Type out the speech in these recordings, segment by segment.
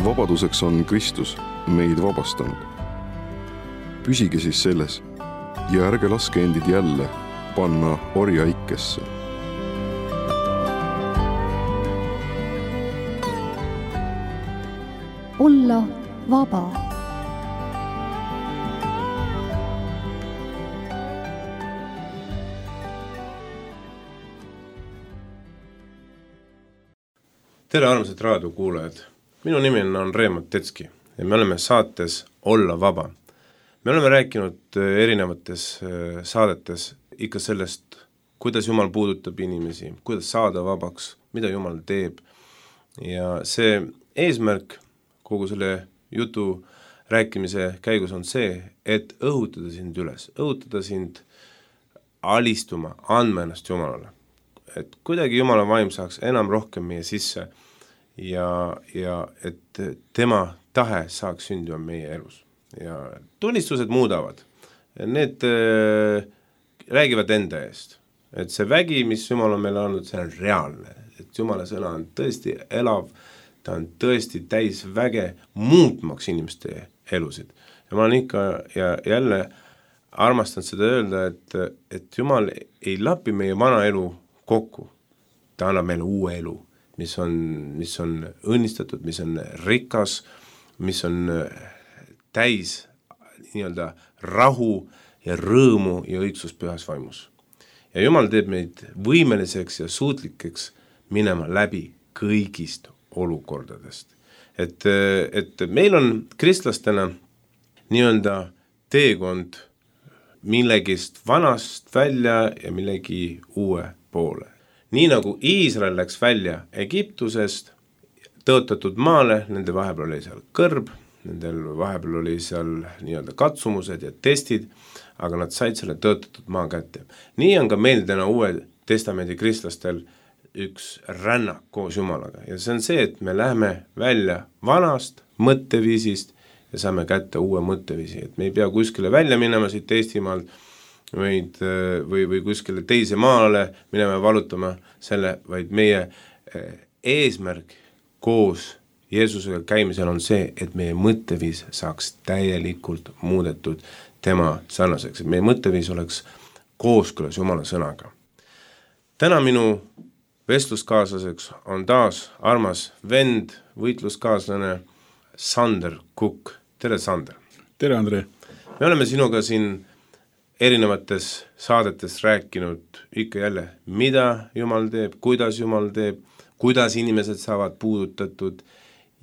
vabaduseks on Kristus meid vabastanud. Püsige siis selles ja ärge laske endid jälle panna orjaikesse. Olla vaba. Tere armsad raadiokuulajad, minu nimi on Reemo Tetski ja me oleme saates Olla vaba. Me oleme rääkinud erinevates saadetes ikka sellest, kuidas Jumal puudutab inimesi, kuidas saada vabaks, mida Jumal teeb. Ja see eesmärk kogu selle jutu rääkimise käigus on see, et õhutada sind üles, õhutada sind alistuma, andma ennast Jumalale. Et kuidagi Jumala vaim saaks enam rohkem meie sisse ja et tema tahe saaks sündima meie elus. Ja tunnistused muudavad. Need räägivad enda eest. Et see vägi, mis Jumal on meile andnud, see on reaalne. Et Jumala sõna on tõesti elav, ta on tõesti täis väge muutmaks inimeste elusid. Ja ma olen ikka ja jälle armastan seda öelda, et Jumal ei lapi meie vana elu kokku. Ta annab meile uue elu, mis on õnnistatud, mis on rikas, mis on täis nii-öelda rahu ja rõõmu ja õigsus pühas vaimus. Ja Jumal teeb meid võimeliseks ja suutlikeks minema läbi kõigist olukordadest. Et meil on kristlastena nii-öelda teekond millegist vanast välja ja millegi uue poole. Nii nagu Iisrael läks välja Egiptusest tõotatud maale, nende vahepeal oli seal kõrb, nendel vahepeal oli seal nii-öelda katsumused ja testid, aga nad said selle tõotatud maa kätte. Nii on ka meil täna Uue Testamendi kristlastel üks rännak koos Jumalaga. Ja see on see, et me läheme välja vanast mõtteviisist ja saame kätte uue mõtteviisi. Et me ei pea kuskile välja minema siit Eestimaalt või kuskile teise maale minema valutama selle, vaid meie eesmärk koos Jeesusega käimisel on see, et meie mõtteviis saaks täielikult muudetud tema sarnaseks. Et meie mõtteviis oleks kooskõlas Jumala sõnaga. Täna minu vestluskaaslaseks on taas armas vend, võitluskaaslane Sander Kukk. Tere, Sander! Tere, Andre! Me oleme sinuga siin erinevates saadetes rääkinud ikka jälle, mida Jumal teeb, kuidas inimesed saavad puudutatud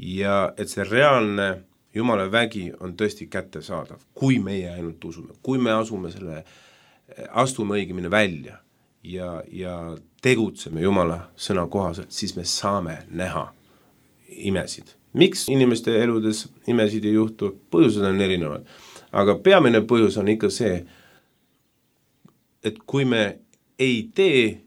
ja et see reaalne Jumala vägi on tõesti kättesaadav, kui meie ainult usume, kui me astume õigemini välja ja tegutseme Jumala sõna kohaselt, siis me saame näha imesid. Miks inimeste eludes imesid ei juhtu? Põhjused on erinevad, aga peamine põhjus on ikka see, et kui me ei tee,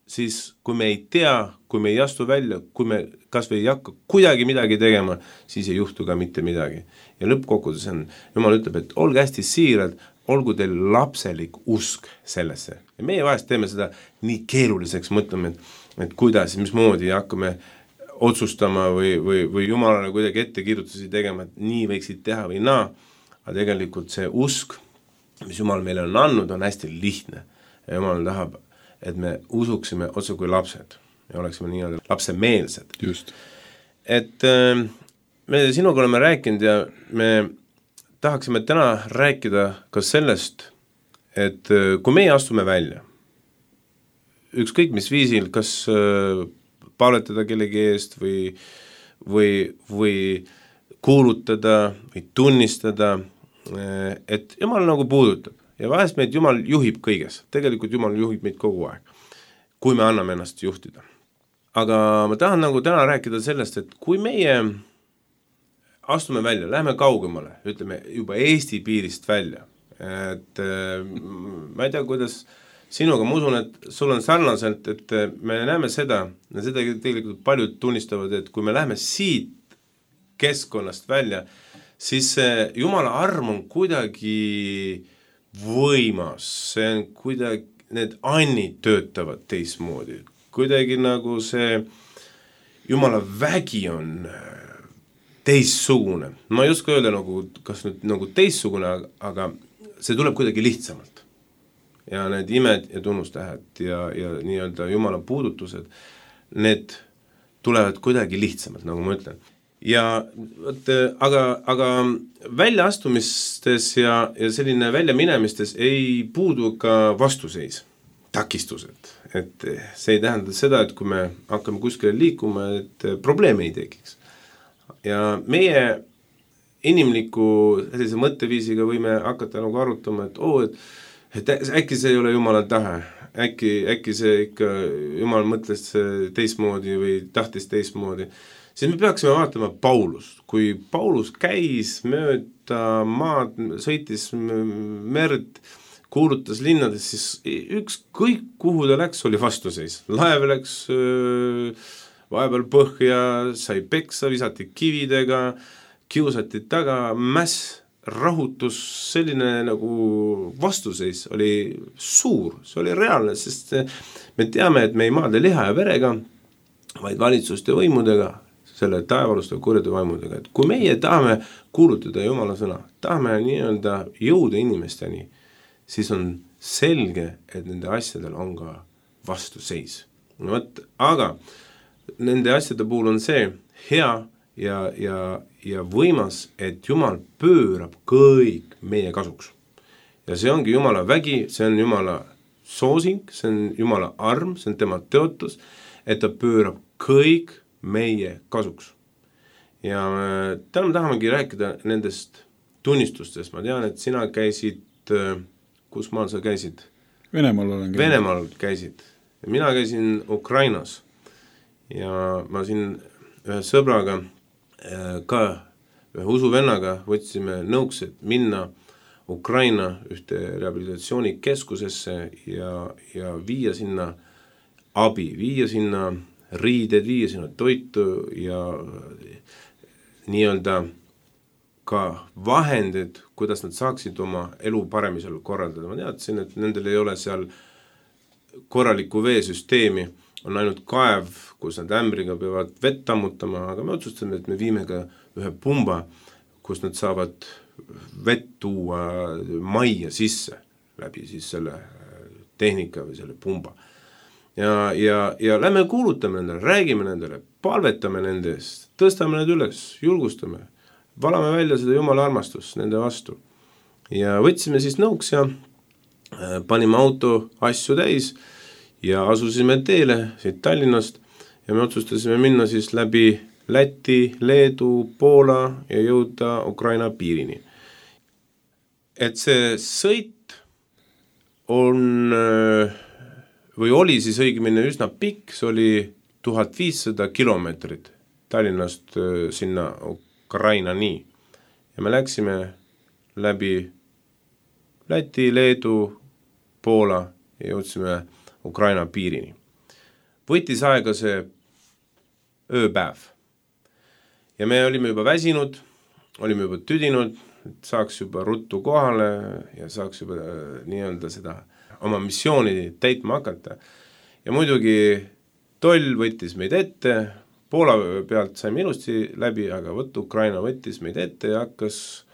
siis kui me ei tea, kui me ei astu välja, kui me kas või ei hakka kuidagi midagi tegema, siis ei juhtu ka mitte midagi. Ja lõppkokkuvõttes on, Jumal ütleb, et olge hästi siirad, olgu teil lapselik usk sellesse. Ja meie vahest teeme seda nii keeruliseks, mõtleme, et kuidas, mismoodi hakkame otsustama või Jumalale kuidagi ettekirjutusi tegema, et nii võiksid teha või naa, aga tegelikult see usk, mis Jumal meile on andnud, on hästi lihtne. Ja Jumal tahab, et me usuksime otse kui lapsed ja oleksime nii-öelda lapsemeelsed. Just. Et me sinuga oleme rääkinud ja me tahaksime täna rääkida ka sellest, et kui meie astume välja, ükskõik mis viisil, kas palvetada kellegi eest või kuulutada või tunnistada, et Jumal nagu puudutab ja vahest meid Jumal juhib kõiges. Tegelikult Jumal juhib meid kogu aeg, kui me anname ennast juhtida. Aga ma tahan nagu täna rääkida sellest, et kui meie astume välja, läheme kaugemale, ütleme juba Eesti piirist välja, et ma ei tea, kuidas sinuga, ma usun, et sul on sarnaselt, et me näeme seda, ja seda tegelikult paljud tunnistavad, et kui me läheme siit keskkonnast välja, siis Jumala arm on kuidagi võimas, see on kuidagi, need annid töötavad teismoodi, kuidagi nagu see Jumala vägi on teistsugune. Ma ei oska öelda kas nüüd nagu teistsugune, aga see tuleb kuidagi lihtsamalt. Ja need imed ja tunnustähed ja nii-öelda Jumala puudutused, need tulevad kuidagi lihtsamalt, nagu ma ütlen. Ja aga väljaastumistes ja selline väljaminemistes ei puudu ka vastuseis, takistused. Et see ei tähenda seda, et kui me hakkame kuskile liikuma, et probleeme ei tekiks. Ja meie inimliku sellise mõtteviisiga võime hakata nagu arutama, et äkki see ei ole Jumala tahe, äkki see ikka Jumal mõtles teistmoodi või tahtis teistmoodi, siis me peaksime vaatama Paulust. Kui Paulus käis mööda maad, sõitis merd, kuulutas linnades, siis ükskõik kuhu ta läks, oli vastuseis. Laev läks vahepeal põhja, sai peksa, visati kividega, kiusati taga, mäss, rahutus, selline nagu vastuseis oli suur, see oli reaalne, sest me teame, et me ei maadle liha ja verega, vaid valitsuste võimudega, selle taevaluste kurjade vaimudega. Et kui meie tahame kuulutada Jumala sõna, tahame nii-öelda jõuda inimesteni, siis on selge, et nende asjadel on ka vastuseis. Aga nende asjade puhul on see hea ja võimas, et Jumal pöörab kõik meie kasuks. Ja see ongi Jumala vägi, see on Jumala soosing, see on Jumala arm, see on tema teotus, et ta pöörab kõik meie kasuks. Ja täna me tahamegi rääkida nendest tunnistustest. Ma tean, et sina käisid, kus maal sa käisid? Venemaal olen käinud. Venemaal käisid. Ja mina käisin Ukrainas. Ja ma siin ühe sõbraga ka ühe usuvennaga võtsime nõuks, et minna Ukraina ühte rehabilitatsioonikeskusesse ja viia sinna abi, viia sinna riided, viia sinna toitu ja nii-öelda ka vahendid, kuidas nad saaksid oma elu paremisel korraldada. Ma teadsin, et nendel ei ole seal korralikku veesüsteemi, on ainult kaev, kus nad ämbriga peavad vett ammutama, aga me otsustame, et me viime ka ühe pumba, kus nad saavad vett tuua majja sisse läbi siis selle tehnika või selle pumba. Ja lähme kuulutame nendele, räägime nendele, palvetame nende eest, tõstame need üles, julgustame, valame välja seda Jumala armastust nende vastu. Ja võtsime siis nõuks ja panime auto asju täis ja asusime teele siit Tallinnast ja me otsustasime minna siis läbi Läti, Leedu, Poola ja jõuda Ukraina piirini. Et see sõit on või oli siis õigemini üsna pikk, see oli 1500 kilomeetrit Tallinnast sinna Ukrainani. Ja me läksime läbi Läti, Leedu, Poola ja jõudsime Ukraina piirini. Võttis aega see ööpäev. Ja me olime juba väsinud, olime juba tüdinud, et saaks juba ruttu kohale ja saaks juba nii-öelda seda oma missiooni täitma hakata. Ja muidugi toll võttis meid ette, Poola pealt saime ilusti läbi, aga Ukraina võttis meid ette ja hakkas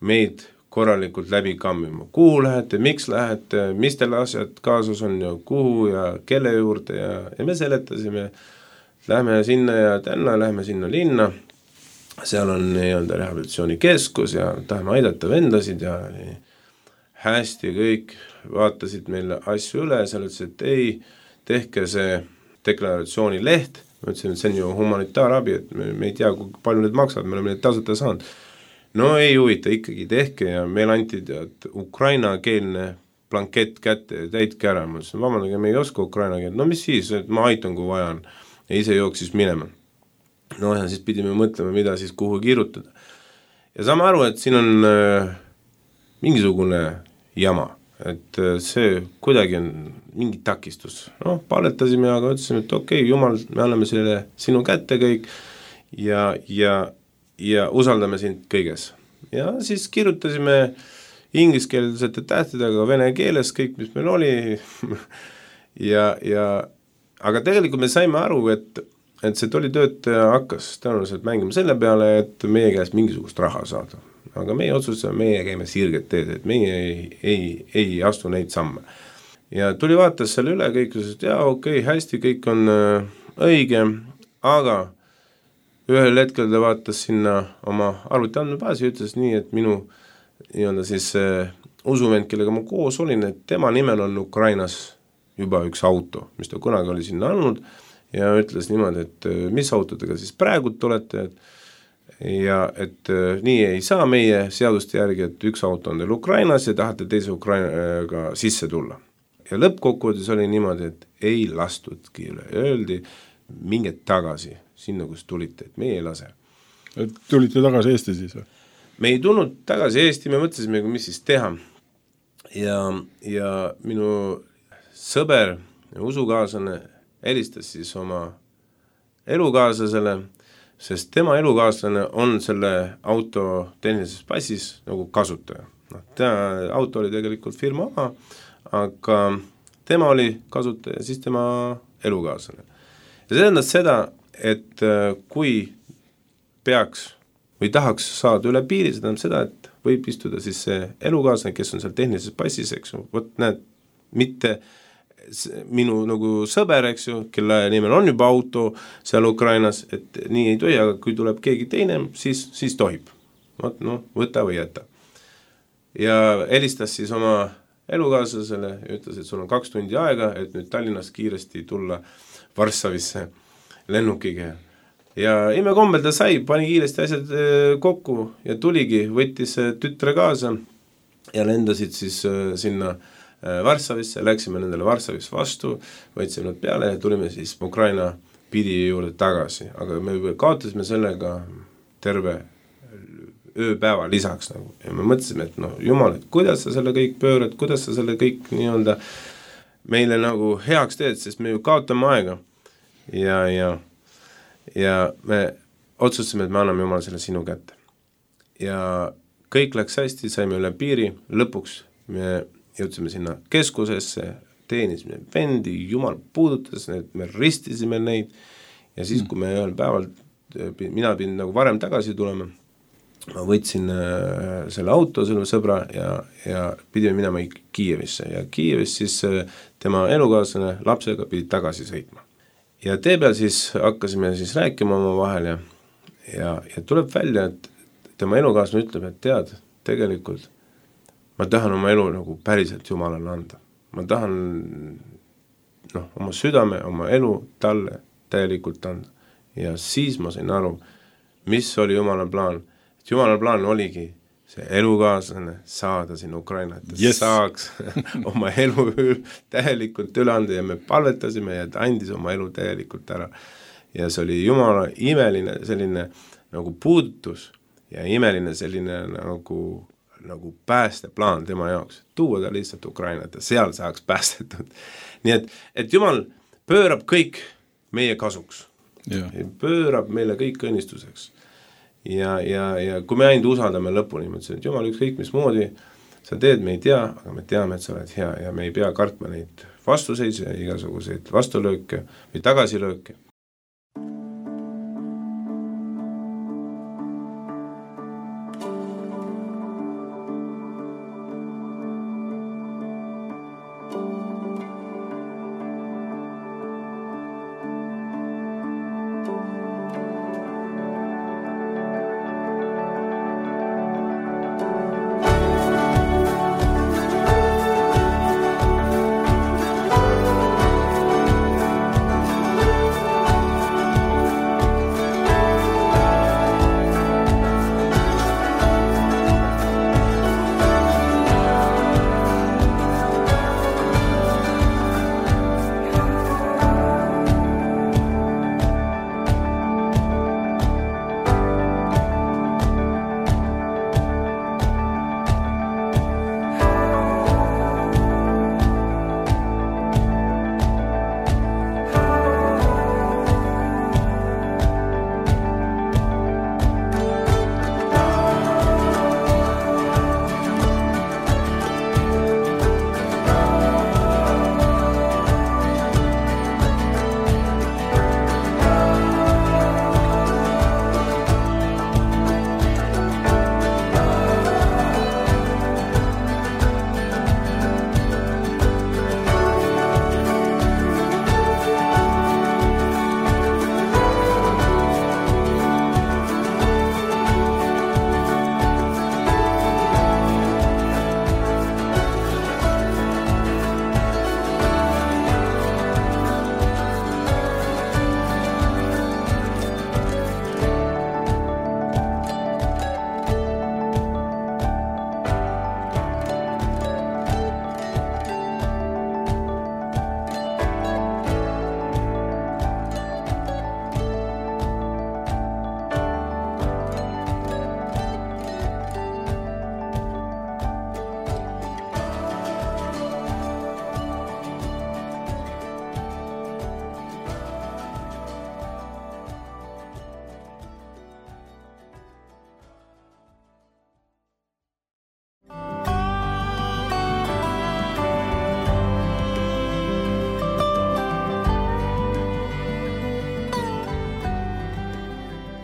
meid korralikult läbi kammima. Kuhu lähete, miks lähete, mis teil asjad kaasas on ja kuhu ja kelle juurde ja me seletasime, lähme sinna ja tänna, lähme sinna linna, seal on nii-öelda rehabilitatsioonikeskus ja tahame aidata vendasid ja hästi kõik vaatasid meile asju üle, seal ütlesid, et ei, tehke see deklaratsiooni leht, ma ütlesin, et see on ju humanitaarabi, et me ei tea, kui palju need maksavad, me oleme need tasuta saanud. No ei huvita, ikkagi tehke ja meil anti ukrainakeelne blankett kätte ja täitke ära. Ma ütlesin, vabandage, me ei oska ukraina keelt. No mis siis, et ma aitan, kui vajan. Ja ise jooksis minema. No ja siis pidime mõtlema, mida siis kuhu kirjutada. Ja saame aru, et siin on mingisugune jama. Et see kuidagi on mingi takistus. No, paletasime, aga ütlesime, et okei, Jumal, me anname selle sinu kätte kõik ja usaldame sind kõiges. Ja siis kirjutasime ingliskeelsete tähtedega vene keeles kõik, mis meil oli. Aga tegelikult me saime aru, et see tollitöötaja hakkas tõenäoliselt mängima selle peale, et meie käest mingisugust raha saada. Aga meie otsustasime, meie käime sirget teed, et meie ei astu neid samme. Ja tuli vaatas selle üle, kõik ütles, et jaa, okei, hästi, kõik on õige, aga ühel hetkel ta vaatas sinna oma arvuti andmebaasi ja ütles nii, et minu nii-öelda siis usuvend, kellega ma koos olin, et tema nimel on Ukrainas juba üks auto, mis ta kunagi oli sinna andnud, ja ütles niimoodi, et mis autodega siis praegult olete, ja et nii ei saa meie seaduste järgi, et üks auto on teil Ukrainas ja tahate teise Ukrainaga sisse tulla. Ja lõppkokkuvõttes oli niimoodi, et ei lastudki üle. Öeldi, minge tagasi sinna, kus tulite, et meie ei lase. Et tulite tagasi Eesti siis? Me ei tulnud tagasi Eesti, me mõtlesime, mis siis teha. Ja minu sõber ja usukaaslane helistas siis oma elukaaslasele, sest tema elukaaslane on selle auto tehnilises passis nagu kasutaja. Auto oli tegelikult firma oma, aga tema oli kasutaja, siis tema elukaaslane. Ja see tähendas seda, et kui peaks või tahaks saada üle piiri, see tähendab seda, et võib istuda siis see elukaaslane, kes on seal tehnilises passis, eks ju, võt näed, mitte minu nagu sõber, eks ju, kelle nimel on juba auto seal Ukrainas, et nii ei tohi, aga kui tuleb keegi teine, siis tohib. Võta või jäta. Ja helistas siis oma elukaaslasele ja ütles, et sul on 2 tundi aega, et nüüd Tallinnast kiiresti tulla Varssavisse lennukiga. Ja imekombel ta sai, pani kiiresti asjad kokku ja tuligi, võttis tütre kaasa ja lendasid siis sinna Varssavisse, läksime nendele Varssavis vastu, võtsime nad peale ja tulime siis Ukraina piiri juurde tagasi, aga me kaotasime sellega terve ööpäeva lisaks nagu. Ja me mõtlesime, et jumal, et kuidas sa selle kõik pöörad, kuidas sa selle kõik nii-öelda meile nagu heaks teed, sest me ju kaotame aega ja me otsustasime, et me anname Jumala selle sinu kätte. Ja kõik läks hästi, saime üle piiri, lõpuks me jõudsime sinna keskusesse, teenisime vendi, Jumal puudutas need, me ristisime neid ja siis, kui me ühel päeval, mina pidin nagu varem tagasi tulema, ma võtsin selle auto, selle sõbra ja pidime minema Kiievisse ja Kiievis siis tema elukaaslane lapsega pidi tagasi sõitma. Ja tee peal siis hakkasime siis rääkima oma vahel ja tuleb välja, et tema elukaaslane ütleb, et tead, tegelikult ma tahan oma elu nagu päriselt Jumalale anda. Ma tahan oma südame, oma elu talle täielikult anda. Ja siis ma sain aru, mis oli Jumala plaan. Et Jumala plaan oligi see elukaaslane saada sinna Ukraina, et saaks oma elu täielikult üle anda ja me palvetasime ja ta andis oma elu täielikult ära. Ja see oli Jumala imeline selline nagu puudutus ja imeline selline nagu päästeplaan tema jaoks, tuua ta lihtsalt Ukrainat ja seal saaks päästetud. Nii et Jumal pöörab kõik meie kasuks. Ja. Pöörab meile kõik õnnistuseks. Ja kui me ainult usaldame lõpuni, mõtlesin, et Jumal ükskõik mis moodi sa teed, me ei tea, aga me teame, et sa oled hea ja me ei pea kartma neid vastuseise ja igasuguseid vastulööke või tagasilööke.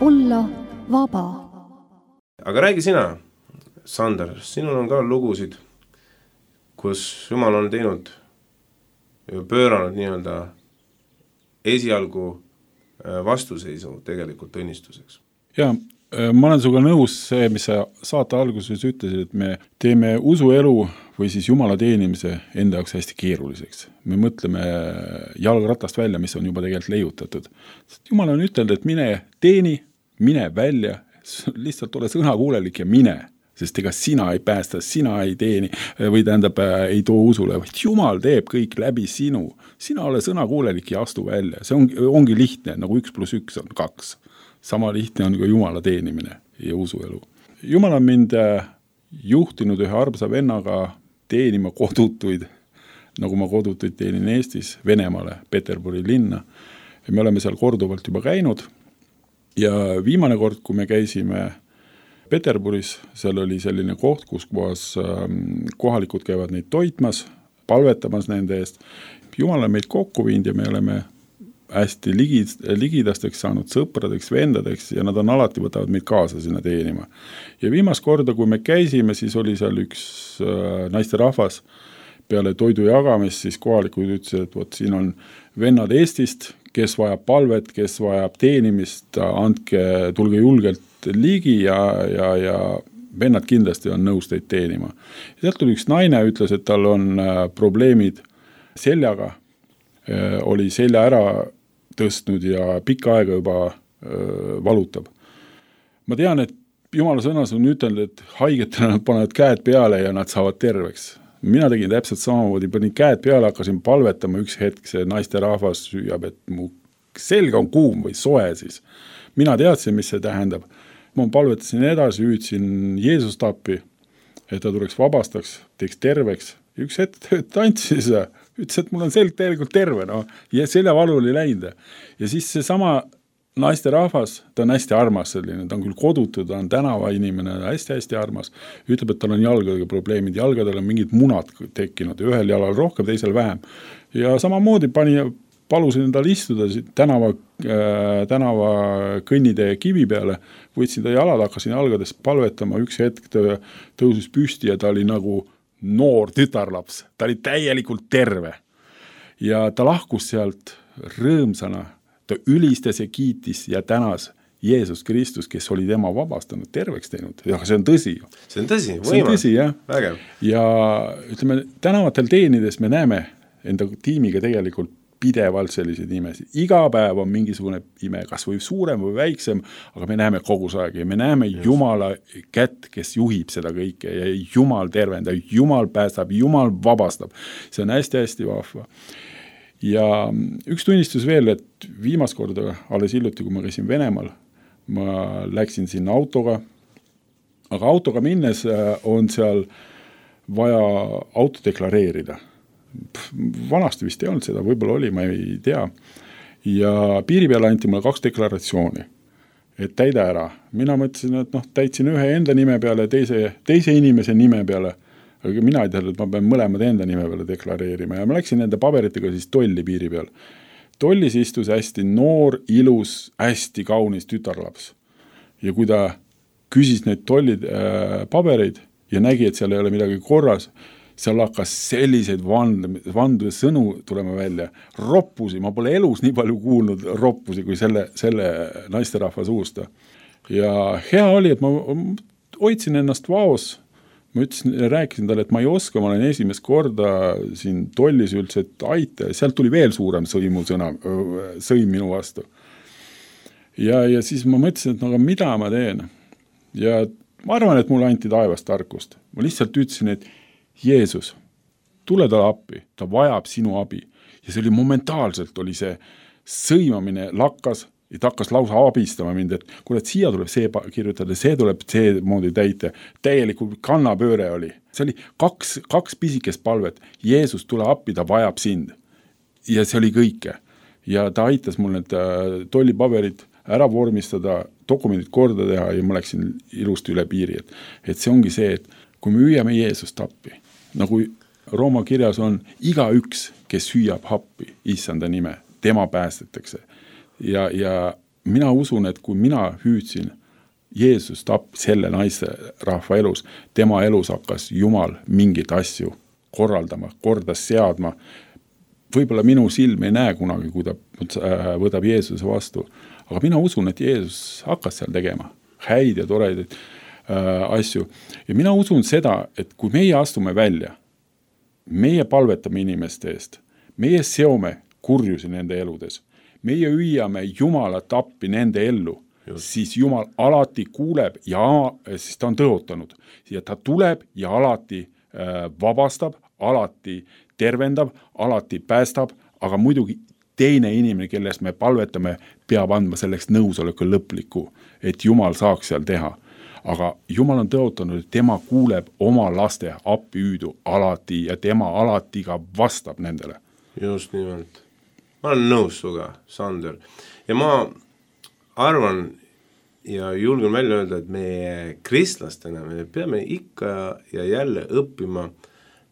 olla vaba. Aga räägi sina, Sander, sinul on ka lugusid, kus Jumal on teinud ja pööranud nii-öelda esialgu vastuseisu tegelikult õnnistuseks. Ja ma olen suga nõus see, mis sa saate alguses ütlesid, et me teeme usuelu või siis Jumala teenimise enda jaoks hästi keeruliseks. Me mõtleme jalgratast välja, mis on juba tegelikult leiutatud. Jumal on ütelnud, et mine teeni, mine välja, lihtsalt ole sõnakuulelik ja mine, sest ega sina ei päästa, sina ei teeni või tähendab ei too usule, vaid Jumal teeb kõik läbi sinu. Sina ole sõnakuulelik ja astu välja. See ongi lihtne, nagu 1+1 on 2. Sama lihtne on ka Jumala teenimine ja usuelu. Jumal on mind juhtinud ühe armsa vennaga teenima kodutuid, nagu ma kodutuid teenin Eestis, Venemaale, Peterburi linna. Ja me oleme seal korduvalt juba käinud ja viimane kord, kui me käisime Peterburis, seal oli selline koht, kus kohalikud käivad neid toitmas, palvetamas nende eest. Jumal on meid kokku viinud ja me oleme hästi ligidasteks saanud sõpradeks, vendadeks ja nad on alati võtavad meid kaasa sinna teenima. Ja viimast korda, kui me käisime, siis oli seal üks naisterahvas peale toidu jagamist, siis kohalikud ütlesid, et võt, siin on vennad Eestist, kes vajab palvet, kes vajab teenimist, tulge julgelt ligi ja vennad kindlasti on nõus teid teenima. Ja sealt tuli üks naine, ütles, et tal on probleemid seljaga, oli selja ära tõstnud ja pikka aega juba valutab. Ma tean, et Jumala sõnas on ütelnud, et haigetele nad panevad käed peale ja nad saavad terveks. Mina tegin täpselt samamoodi, panin käed peale, hakkasin palvetama üks hetk, see naisterahvas süüab, et mu selg on kuum või soe siis. Mina teadsin, mis see tähendab. Ma palvetasin edasi, hüüdsin Jeesust appi, et ta tuleks vabastaks, teeks terveks. Üks hetk tantsis ja ütles, et mul on selg tegelikult terve, no, ja seljavalu oli läinud. Ja siis see sama naisterahvas, ta on hästi armas selline, ta on küll kodutu, ta on tänava inimene, hästi-hästi armas. Ütleb, et tal on jalgadega probleemid, jalgadel on mingid munad tekkinud, ühel jalal rohkem, teisel vähem. Ja samamoodi palusin tal istuda tänava kõnnitee kivi peale, võtsin ta jalad, hakkasin jalgadest palvetama, üks hetk tõusis püsti ja ta oli nagu noor tütarlaps, ta oli täielikult terve ja ta lahkus sealt rõõmsana, ta ülistas ja kiitis ja tänas Jeesus Kristus, kes oli tema vabastanud, terveks teinud. Ja see on tõsi. See on tõsi, see on tõsi, jah. Vägev. Ja ütleme, tänavatel teenides me näeme enda tiimiga tegelikult pidevalt selliseid imesid. Iga päev on mingisugune ime, kas või suurem või väiksem, aga me näeme kogu aeg ja me näeme Jumala kätt, kes juhib seda kõike ja Jumal tervendab, Jumal päästab, Jumal vabastab. See on hästi-hästi vahva. Ja üks tunnistus veel, et viimast korda alles hiljuti, kui ma käisin Venemaal, ma läksin sinna autoga, aga autoga minnes on seal vaja auto deklareerida. Vanasti vist ei olnud seda, võib-olla oli, ma ei tea. Ja piiri peale anti mulle 2 deklaratsiooni, et täida ära. Mina mõtlesin, et täitsin ühe enda nime peale, teise inimese nime peale, aga mina ei teadnud, et ma pean mõlemad enda nime peale deklareerima ja ma läksin nende paberitega siis tolli piiri peal. Tollis istus hästi noor, ilus, hästi kaunis tütarlaps. Ja kui ta küsis neid tollid pabereid ja nägi, et seal ei ole midagi korras, seal hakkas selliseid vandude sõnu tulema välja. Roppusi, ma pole elus nii palju kuulnud roppusi kui selle naisterahva suusta. Ja hea oli, et ma hoidsin ennast vaos. Ma rääkisin talle, et ma ei oska, ma olen esimest korda siin tollis üldse, et aita. Sealt tuli veel suurem sõim minu vastu. Ja siis ma mõtlesin, et aga mida ma teen? Ja ma arvan, et mulle anti taevast tarkust. Ma lihtsalt ütlesin, et Jeesus, tule talle appi, ta vajab sinu abi. Ja see oli momentaalselt, oli see sõimamine lakkas, et hakkas lausa abistama mind, et kuule, et siia tuleb see kirjutada, see tuleb see moodi täita. Täielikult kannapööre oli. See oli kaks pisikest palvet. Jeesus, tule appi, ta vajab sind. Ja see oli kõike. Ja ta aitas mul need tollipaberid ära vormistada, dokumendid korda teha ja ma läksin ilusti üle piiri. Et see ongi see, et kui me hüüame Jeesust appi, nagu Rooma kirjas on, igaüks, kes hüüab appi issanda nime, tema päästetakse. Ja mina usun, et kui mina hüüdsin Jeesus tappis selle naise rahva elus, tema elus hakkas Jumal mingit asju korraldama, kordas seadma. Võib-olla minu silm ei näe kunagi, kui ta võtab Jeesuse vastu, aga mina usun, et Jeesus hakkas seal tegema häid ja toredaid asju. Ja mina usun seda, et kui meie astume välja, meie palvetame inimeste eest, meie seome kurjusi nende eludes, meie hüüame Jumalat appi nende ellu, siis Jumal alati kuuleb ja siis ta on tõotanud ja ta tuleb ja alati vabastab, alati tervendab, alati päästab, aga muidugi teine inimene, kellest me palvetame, peab andma selleks nõusoleku lõpliku, et Jumal saaks seal teha. Aga Jumal on tõotanud, et tema kuuleb oma laste appi hüüdu alati ja tema alati ka vastab nendele. Just nimelt. Ma olen nõus suga, Sander. Ja ma arvan ja julgen välja öelda, et meie kristlastena me peame ikka ja jälle õppima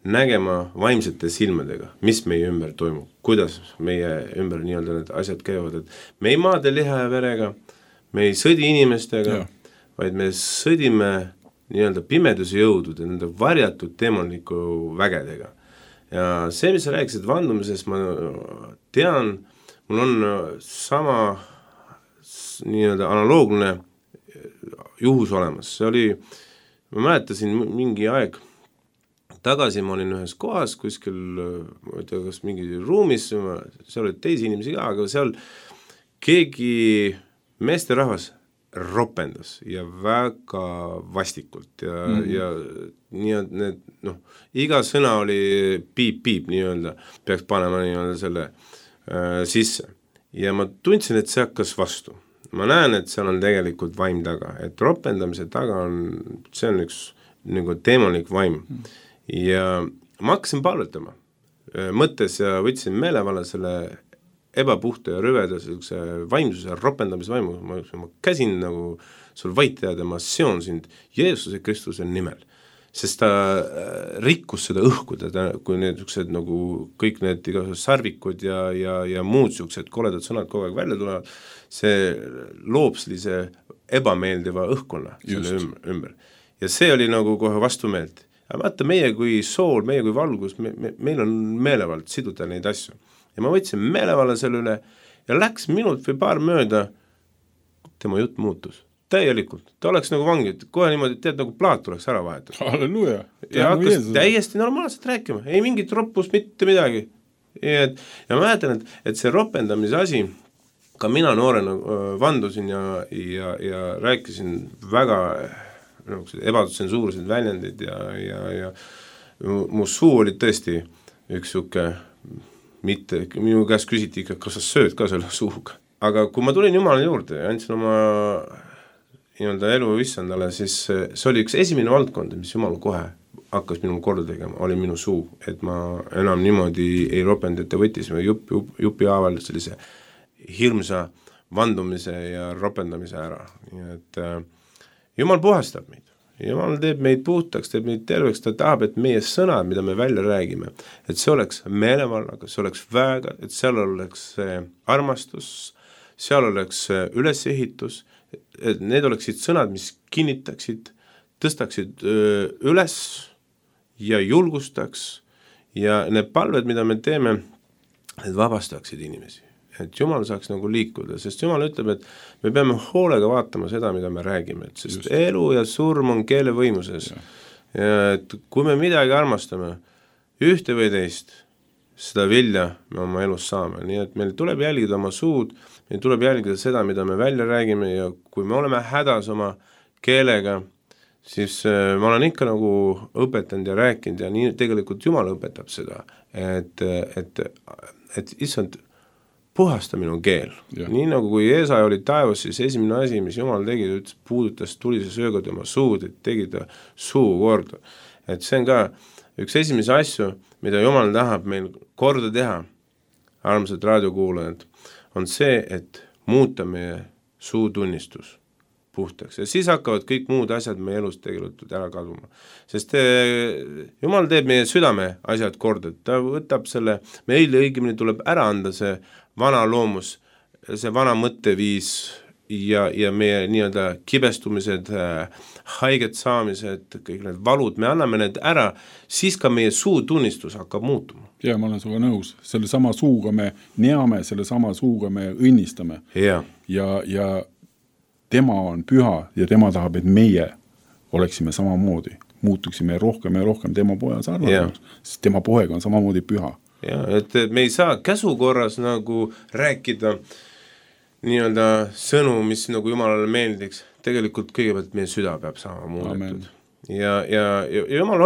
nägema vaimsete silmadega, mis meie ümber toimub, kuidas meie ümber nii-öelda need asjad käivad, et me ei maade liha ja verega, me ei sõdi inimestega, vaid me sõdime nii-öelda pimeduse jõudude, nende varjatud demonliku vägedega. Ja see, mis sa rääkisid vandumises, ma tean, mul on sama nii-öelda analoogne juhus olemas. See oli, ma mäletasin mingi aeg tagasi, ma olin ühes kohas kuskil, ma ei tea, kas mingi ruumis, seal oli teisi inimesi ka, aga seal keegi meesterahvas ropendas ja väga vastikult ja nii, et need, iga sõna oli piip-piip nii-öelda, peaks panema nii-öelda selle sisse. Ja ma tundsin, et see hakkas vastu. Ma näen, et seal on tegelikult vaim taga, et ropendamise taga on, see on üks nagu demonlik vaim. Ja ma hakkasin palvetama mõttes ja võtsin meelevalla selle ebapuhta ja rüveda vaimsuse ropendamise vaimu. Ma käsin nagu sul vaita ja ma seon sind Jeesuse Kristuse nimel, sest ta rikkus seda õhku, kui need nagu kõik need igasugused sarvikud ja muud sellised koledad sõnad kogu aeg välja tulevad, see loob sellise ebameeldiva õhkkonna selle ümber. Ja see oli nagu kohe vastumeelt. Aga vaata, meie kui sool, meie kui valgus, meil on meelevald siduda neid asju. Ja ma võtsin meelevalla selle üle ja läks minut või paar mööda, tema jutt muutus. Täielikult. Ta oleks nagu vangi, kohe niimoodi, tead, nagu plaat tuleks ära vahetada. Halleluja. Ja hakkas täiesti normaalselt rääkima. Ei mingit roppust, mitte midagi. Ja ma mäletan, et see ropendamise asi, ka mina noorena vandusin ja rääkisin väga ebatsensuursed väljendid ja mu suu oli tõesti üks suke, mitte, minu käest küsiti ikka, kas sa sööd ka selle suuga. Aga kui ma tulin Jumala juurde ja andsin oma nii-öelda elu issandale, siis see oli üks esimene valdkond, mis Jumal kohe hakkas minul korda tegema, oli minu suu, et ma enam niimoodi ei ropend, et ta võttis jupi haaval sellise hirmsa vandumise ja ropendamise ära. Nii et Jumal puhastab meid. Jumal teeb meid puhtaks, teeb meid terveks, ta tahab, et meie sõnad, mida me välja räägime, et see oleks meelevallaga, see oleks väega, et seal oleks armastus, seal oleks ülesehitus, et need oleksid sõnad, mis kinnitaksid, tõstaksid üles ja julgustaks ja need palved, mida me teeme, need vabastaksid inimesi. Et Jumal saaks nagu liikuda, sest Jumal ütleb, et me peame hoolega vaatama seda, mida me räägime, et sest elu ja surm on keele võimuses. Ja et kui me midagi armastame, ühte või teist, seda vilja me oma elus saame. Nii et meil tuleb jälgida oma suud, meil tuleb jälgida seda, mida me välja räägime ja kui me oleme hädas oma keelega, siis ma olen ikka nagu õpetanud ja rääkinud ja nii tegelikult Jumal õpetab seda, et issand, puhasta minu keel. Ja. Nii nagu kui Eesa oli taevas, siis esimene asi, mis Jumal tegi, ta puudutas tulise sööga tema suud, et tegi ta suu korda. Et see on ka üks esimese asju, mida Jumal tahab meil korda teha, armsad raadiokuulajad, on see, et muuta meie suutunnistus puhtaks. Ja siis hakkavad kõik muud asjad meie elus tegelikult ära kaduma. Sest Jumal teeb meie südame asjad korda, ta võtab selle, meile õigemini tuleb ära anda see vana loomus, see vana mõtteviis ja meie nii-öelda kibestumised, haiget saamised, kõik need valud, me anname need ära, siis ka meie suutunnistus hakkab muutuma. Ja ma olen suga nõus, selle sama suuga me neame, selle sama suuga me õnnistame. Ja tema on püha ja tema tahab, et meie oleksime samamoodi, muutuksime rohkem ja rohkem tema poja sarnaseks, sest tema poeg on samamoodi püha. Ja, et me ei saa käsukorras nagu rääkida nii-öelda sõnu, mis nagu Jumalale meeldiks, tegelikult kõigepealt meie süda peab saama muudetud. Ja Jumal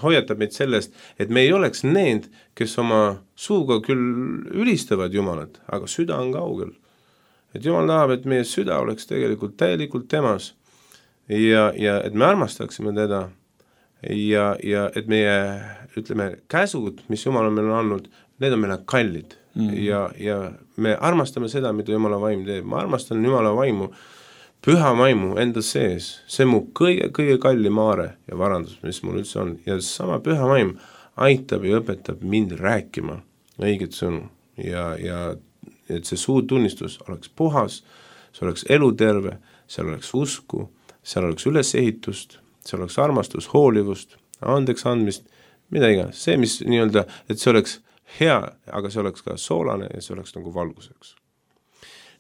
hoiatab meid sellest, et me ei oleks need, kes oma suuga küll ülistavad Jumalat, aga süda on kaugel. Et Jumal tahab, et meie süda oleks tegelikult täielikult temas ja et me armastaksime teda ja et meie, ütleme, käsud, mis Jumal on meile andnud, need on meile kallid ja me armastame seda, mida Jumala vaim teeb. Ma armastan Jumala vaimu, püha vaimu enda sees, see mu kõige kallim aare ja varandus, mis mul üldse on. Ja sama püha vaim aitab ja õpetab mind rääkima õiget sõnu ja et see suutunnistus oleks puhas, see oleks eluterve, seal oleks usku, seal oleks ülesehitust, seal oleks armastus, hoolivust, andeks andmist, mida iganes. See, mis nii-öelda, et see oleks hea, aga see oleks ka soolane ja see oleks nagu valguseks.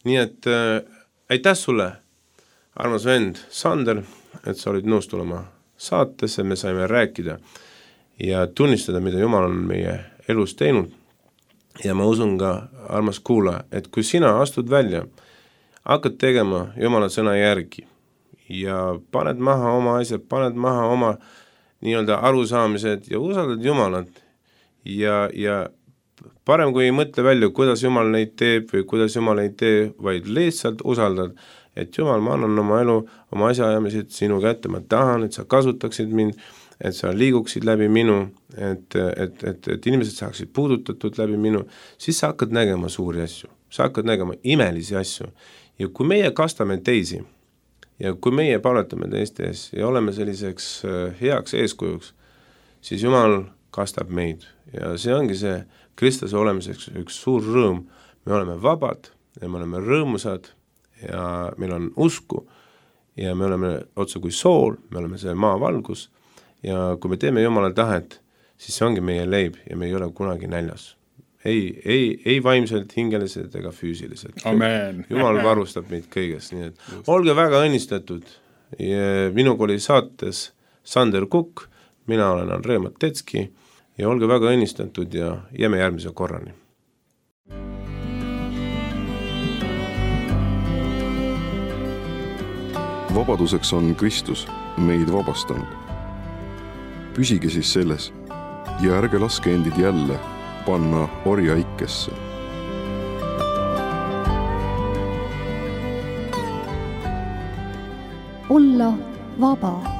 Nii et aitäh sulle, armas vend Sander, et sa olid nõus tulema saatesse, me saime rääkida ja tunnistada, mida Jumal on meie elus teinud. Ja ma usun ka, armas kuulaja, et kui sina astud välja, hakkad tegema Jumala sõna järgi ja paned maha oma asjad, paned maha oma nii-öelda arusaamised ja usaldad Jumalat ja parem kui ei mõtle välja, kuidas Jumal neid teeb või kuidas Jumal ei tee, vaid lihtsalt usaldad, et Jumal, ma annan oma elu, oma asjaajamised sinu kätte, ma tahan, et sa kasutaksid mind, et sa liiguksid läbi minu, et inimesed saaksid puudutatud läbi minu, siis sa hakkad nägema suuri asju, sa hakkad nägema imelisi asju. Ja kui meie kastame teisi ja kui meie paletame teiste ees ja oleme selliseks heaks eeskujuks, siis Jumal kastab meid ja see ongi see Kristuse olemiseks üks suur rõõm. Me oleme vabad ja me oleme rõõmusad ja meil on usku ja me oleme otsa kui sool, me oleme see maavalgus ja kui me teeme Jumala tahet, siis see ongi meie leib ja me ei ole kunagi näljas. Ei vaimselt, hingeliselt ega füüsiliselt. Amen. Jumal varustab meid kõigest, nii et olge väga õnnistatud. Minuga oli saates Sander Kukk, mina olen Andrei Matetski ja olge väga õnnistatud ja jääme järgmise korrani. Vabaduseks on Kristus meid vabastanud. Püsige siis selles ja ärge laske endid jälle panna orjaikesse. Olla vaba.